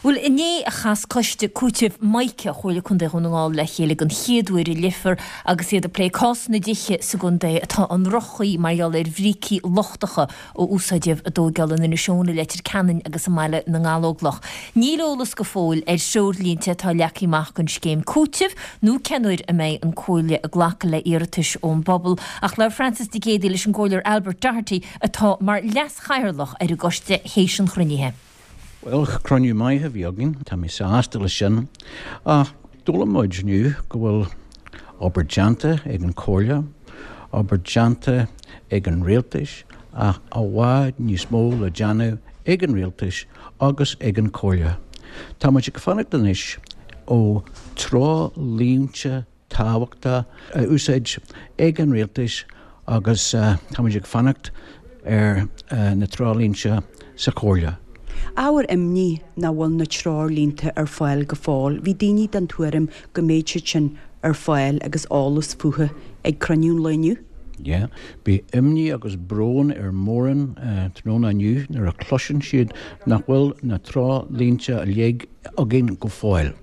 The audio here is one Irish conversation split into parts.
Bhuel, inné a chas Coiste Cúitimh Mica Chomhairle Contae Dhún na nGall le chéile den chéad uair i Leifear agus iad ag plé cás na dtithe sa gcontae atá i ndroch-chaoi mar gheall ar bhrící lochtacha a úsáideadh i dtóigeáil in Inis Eoghain, i Leitir Ceanainn agus i mBaile na nGallóglach. Níl eolas go fóill ar threoirlínte atá leagtha amach don scéim cúitimh nó cén uair a mbeidh an Comhairle ag glacadh le iarratais ón bpobal ach labhair Frances Nic Géadaigh leis an gComhairleoir Albert Doherty atá mar leas-chathaoirleach ar an gcoiste théis an chruinnithe. Bhuel, cruinniú maith a bhí againn, tá mé sásta leis sin. Ach d'fhoghlaim muid inniu go bhfuil obair déanta ag an Chomhairle, obair déanta ag an Rialtais ach i bhfad níos mó le déanamh ag an Rialtais agus ag an Chomhairle. Tá muid ag fanacht anois ó treoirlínte tábhachtach a úsáid ag an Rialtas agus táimid ag fanacht ar na treoirlínte sa Chomhairle. Ábhar imní nach bhfuil na treoirlínte ar fáil go fóill. Bhí daoine den tuairim go mbeadh siad sin ar fáil agus eolas fúthu ag cruinniú an lae inniu. Yeah. Bhí imní agus brón ar mórán tráthnóna inniu nuair a chloiseann siad nach bhfuil na treoirlínte uilig againn go fóill.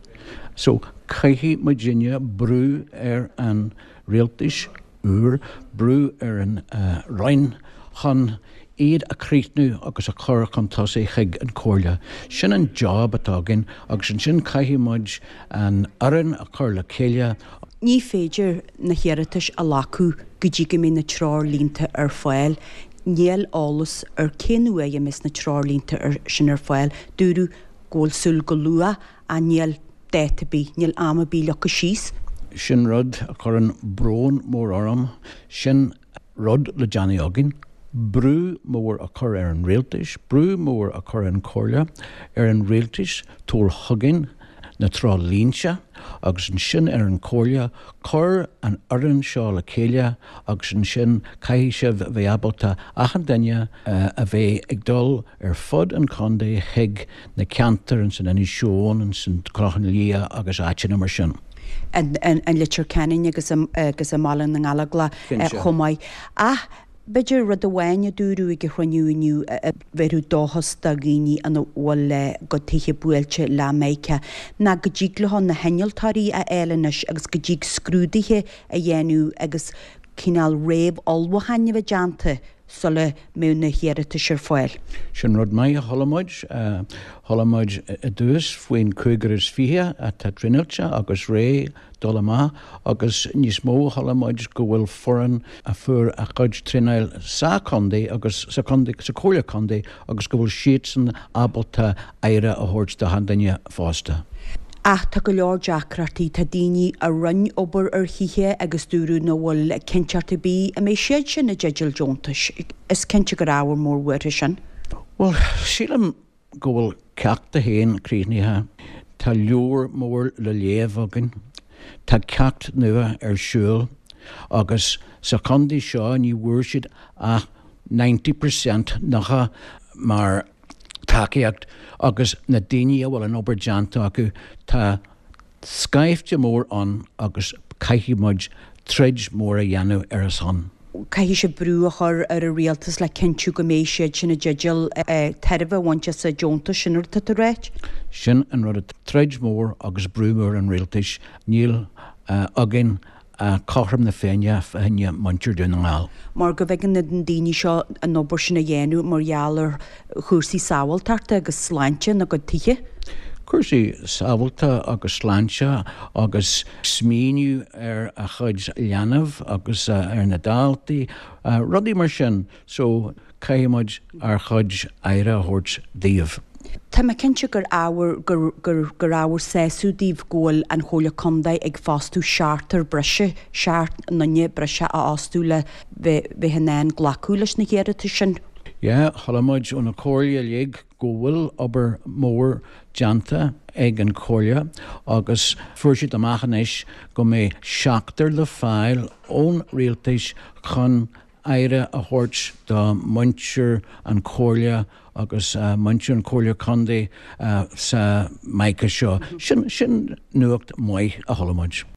So, caithfidh muidinne brú ar an rialtais úr, brú ar an Roinn chun iad a chríochnú agus a chur chun tosaigh chuig an Chomhairle. Sin an job atá againn agus ansin caithfidh muid an fhoireann a chur le chéile. Ní féidir na hiarratais a ghlacadh go dtí go mbeidh na treoirlínte ar fáil. Níl eolas ar cén uair a mbeas na treoirlínte sin ar fáil. Dúradh go bhfuil súil go luath ach níl dáta ar bith, níl am ar bith leagtha síos. Sin rud a chuireann brón mór orm. Sin rud le déanamh againn. Brú mór a chur ar an rialtais, brú mór a chur ar an Chomhairle, ar an rialtais tabhair chugainn na treoirlínte agus ansin ar an Chomhairle cuir an fhoireann seo le chéile agus ansin caithfidh sibh a bheith ábalta achan duine a bheith ag dul ar fud an chontae chuig na ceantair ansin Inis Eoghain, ansin Clochán Liath agus áiteanna mar sin. an Leitir Ceanainn agus agus i mBaile na nGallóglach chomh maith. Ach b'fhéidir rud amháin a dúradh ag an chruinniú inniu a bhéarfadh dóchas do dhaoine ina bhfuil a gcuid tithe buailte le Mica ná go dtig leo na hinnealtóirí a fháil anois agus go dtig scrúduithe a dhéanamh agus cineál réamh-ullmhúcháin a bheith déanta sula mbeadh na hiarratais ar fáil. Sin rud maith a chuala muid. Chuala muid i dtús faoin 25 atá traenáilte agus réidh dul amach agus níos mó chuala muid go bhfuil foireann a fuair a chuid traenáil sa chontae agus sa chontae, sa chomhairle contae agus go bhfuil siadsan ábalta aire a thabhairt do achan duine fosta. Ach tá go leor deacrachtaí, tá daoine a rinne obair ar thithe agus dúradh nach bhfuil cinnteacht ar bith an mbeidh siad sin i dteideal deontais. Is cinnte gur ábhar mór buartha sin. Bhuel, sílim go bhfuil ceacht a haon críochnaithe. Tá leabhar mór le léamh againn. Tá ceacht nua ar siúl agus sa chontae seo ní bhfuair siad ach 90%, 90, mar tacaíocht agus na daoine a bhfuil an obair déanta acu, tá scaifte mór ann agus caithfidh muid troid mór a dhéanamh ar a son. Caithfidh sibh brú a chur ar an rialtas le cinntiú go mbeidh siad sin i dteideal tairbhe a bhaint as an deontas, sin an rud atá tú a ráit? Sin an rud, troid mhór agus brú mór an rialtais, níl againn cothrom na Féinne fá choinne muintir Dún na nGall. Mar go mb'éigean do na daoine seo an obair sin a dhéanamh mar gheall ar chúrsaí sábháilteachta agus sláinte ina gcuid tithe. Cúrsaí sábháilte agus sláinte agus smaoineamh ar a chuid leanbh agus ar na daltaí, rudaí mar sin. So, caithfidh muid ár chuid aire a thabhairt daoibh. Tá mé cinnte gur ábhar gur gur gur ábhar sásaimh daoibh go bhfuil an Chomhairle Contae ag fostú seachtar breise, seacht nduine breise a fhostú le bheith bheith in ann glacadh leis na hiarratais sin. Yeah, chuala muid ó na Comhairle uilig go bhfuil obair mhór déanta ag an Chomhairle agus fuair siad amach anois go mbeidh seachtar le fáil ón Rialtais chun aire a thabhairt do muintir an Chomhairle agus muintir an Chomhairle Contae sa Mica seo. Sin, sin nuacht maith a chuala muid.